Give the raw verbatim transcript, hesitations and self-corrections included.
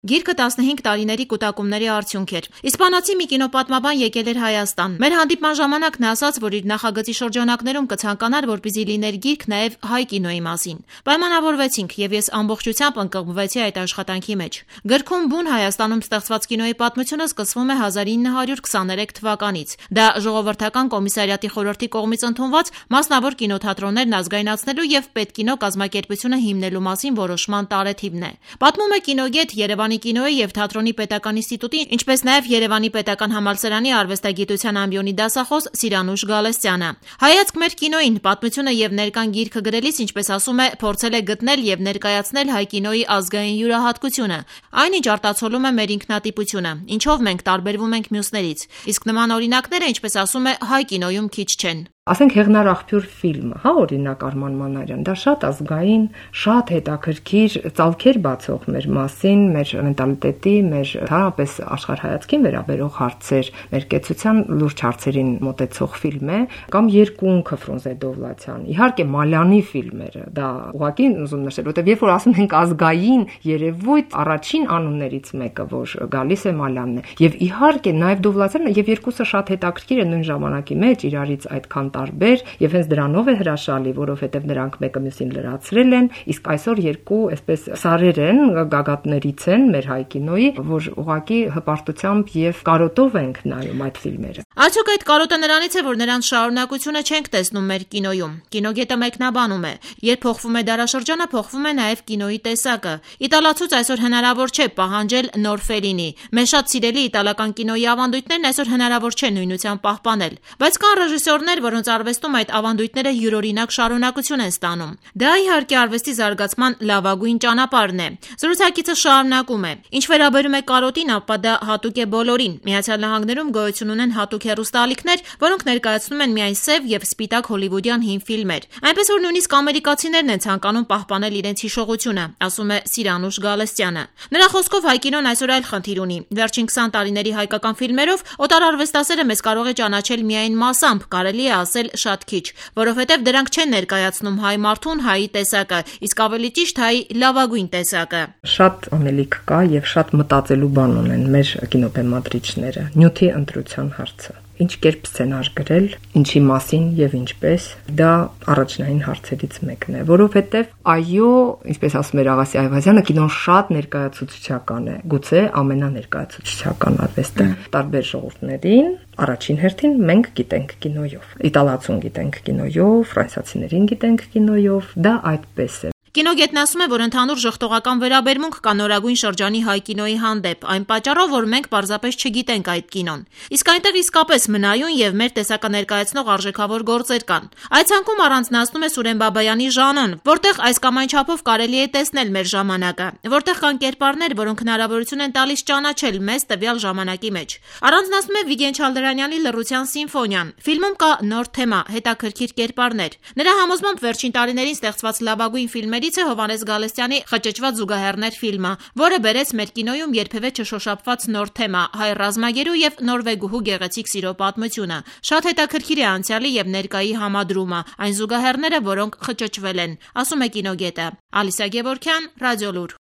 Գիրքը տասնհինգ տարիների կուտակումների արդյունք էր։ Իսպանացի մի կինոպատմաբան եկել էր Հայաստան։ Մեր հանդիպման ժամանակ նա ասաց, որ իր նախագծի շրջանակներում կցանկանար, որպեսզի լիներ գիրք նաև հայ կինոյի մասին։ Պայմանավորվեցինք, եւ ես ամբողջությամբ ընկղմվեցի այդ աշխատանքի մեջ։ Գրքում բուն Հայաստանում ստեղծված կինոյի պատմությունը սկսվում է հազար ինը հարյուր քսաներեք թվականից։ Դա ժողովրդական կոմիսարիատի խորհրդի կողմից ընդունված մասնավոր կինոթատրոններն ազգայնացնելու եւ պետկինո կազմակերպությունը հիմնելու մասին որոշման տարեթիվն է։ Պատմում է կինոգետ Երևանի կինոյի եւ թատրոնի պետական ինստիտուտի, ինչպես նաեւ Երևանի պետական համալսարանի արվեստագիտության ամբիոնի դասախոս Սիրանուշ Գալստյանը։ Հայացք մեր կինոյին պատմությունը եւ ներկան գիրքը գրելիս, ինչպես ասում է, փորձել է գտնել եւ ներկայացնել հայ կինոյի ազգային յուրահատկությունը, այնինչ արտացոլում է մեր ինքնատիպությունը, ինչով մենք տարբերվում ենք մյուսներից։ Իսկ նման օրինակները, ինչպես ասում է, հայ կինոյում քիչ չեն։ Ասենք Հեղնար աղբյուր ֆիլմը, հա, օրինակ Արման Մանարյան, դա շատ ազգային, շատ հետաքրքիր ծալքեր բացող մեր մասին, մեր մենտալիտետի, մեր հարաբերս աշխարհայացքին վերաբերող հարցեր, մեր կեցության լուրջ հարցերին մոտեցող ֆիլմ է, կամ Երկունքը Ֆրունզե Դովլաթյան, իհարկե Մալյանի ֆիլմերը, դա ուղղակի ուզում նշել, որտեղ երբ որ ասում ենք ազգային երևույթ, առաջին անուններից մեկը, որ գալիս է Մալյանն է, եւ իհարկե նաեւ Դովլաթյանը, եւ երկուսը շատ հետաքրքիր են նույն ժամանակի մեջ իրարից այդքան տարբեր եւ հենց դրանով է հրաշալի, որովհետեւ նրանք մեկը մյուսին լրացրել են, իսկ այսօր երկու այսպես սարեր են, գագաթներից են մեր հայ կինոյի, որ ուղղակի հպարտությամբ եւ կարոտով ենք նայում այդ ֆիլմերը։ Արդյոք այդ կարոտը նրանից է, որ նրանց շարունակությունը չենք տեսնում մեր կինոյում։ Կինոգետը մեկնաբանում է. երբ փոխվում է դարաշրջանը, փոխվում է նաեւ կինոյի տեսակը։ Իտալացուց այսօր հնարավոր չէ պահանջել նոր Ֆելինի։ Մեր շատ սիրելի իտալական կինոյի ավանդույթներն այսօր հնարավոր չէ նույնությամբ պահպանել, բայց կան ռեժիսորներ, որոնց արվեստում այդ ավանդույթները յուրօրինակ շարունակություն են ստանում։ Դա իհարկե արվեստի զարգացման լավագույն ճանապարհն է։ Զրուցակիցը շարունակում է. Ինչ վերաբերում է կարոտին, ապա դա հատուկ է բոլորին։ Միացյալ Նահանգներում գոյություն ունեն հատուկ հեռուստաալիքներ, որոնք ներկայացնում են միայն սև եւ սպիտակ հոլիվուդյան հին ֆիլմեր։ Այնպես որ նույնիսկ ամերիկացիներն են ցանկանում պահպանել իրենց հիշողությունը, ասում է Սիրանուշ Գալստյանը։ Նրա խոսքով հայ կինոն այսօր այլ խնդիր ունի։ Վերջին քսան տարիների հայկական ֆիլմերով օտարարվեստասերը մեզ կարող է ճանաչել միայն մասամբ, կարելի է ասել շատ քիչ, որովհետև դրանք չեն ներկայացնում հայ մարդուն, հայի տեսակը, իսկ ավելի ճիշտ հայի լավագույն տեսակը։ Շատ անելիք կա եւ շատ մտածելու բան ունեն մեր կինոբեմադրիչները։ Նյութի ընտրության հարցը։ Ինչ կերպ սցենար գրել, ինչի մասին եւ ինչպես, դա առաջնային հարցերից մեկն է, որովհետեւ այո, ինչպես ասում էր Աղասի Այվազյանը, կինոն շատ ներկայացուցչական է, գուցե ամենաներկայացուցչական արվեստը տարբեր ժողովուրդներին, առաջին հերթին մենք գիտենք կինոյով, իտալացուն գիտենք կինոյով, ֆրանսիացիներին գիտենք կինոյով, դա այդպես է։ Կինոգետն ասում է, որ ընդհանուր ժխտողական վերաբերմունք կա նորագույն շրջանի հայ կինոյի հանդեպ, այն պատճառով, որ մենք պարզապես չգիտենք այդ կինոն։ Իսկ այնտեղ իսկապես մնայուն եւ մեր տեսակը ներկայացնող արժեքավոր գործեր կան։ Այդ ցանկում առանձնացնում է Սուրեն Բաբայանի ժանոն, որտեղ այս կամ այն չափով կարելի է տեսնել մեր ժամանակը, որտեղ կան կերպարներ, որոնք հնարավորություն են տալիս ճանաչել մեզ տվյալ ժամանակի մեջ։ Առանձնացնում է Վիգեն Չալդրանյանի Լռության սիմֆոնիան։ Ֆիլմում կա նոր թեմա, հետաքրքիր կերպարներ։ Նրա համոզմամբ վերջին տարիներին ստեղծված լավագույն ֆիլմեր է Հովհաննես Գալստյանի Խճճված զուգահեռներ ֆիլմը, որը բերեց մեր կինոյում երբևէ չշոշափված նոր թեմա՝ հայ ռազմագերու եւ նորվեգուհու գեղեցիկ սիրո պատմությունը։ Շատ հետաքրքիր է անցյալի եւ ներկայի համադրումը, այն զուգահեռները, որոնք խճճվել են, ասում է կինոգետը։ Ալիսա Գևորգյան, Ռադիոլուր։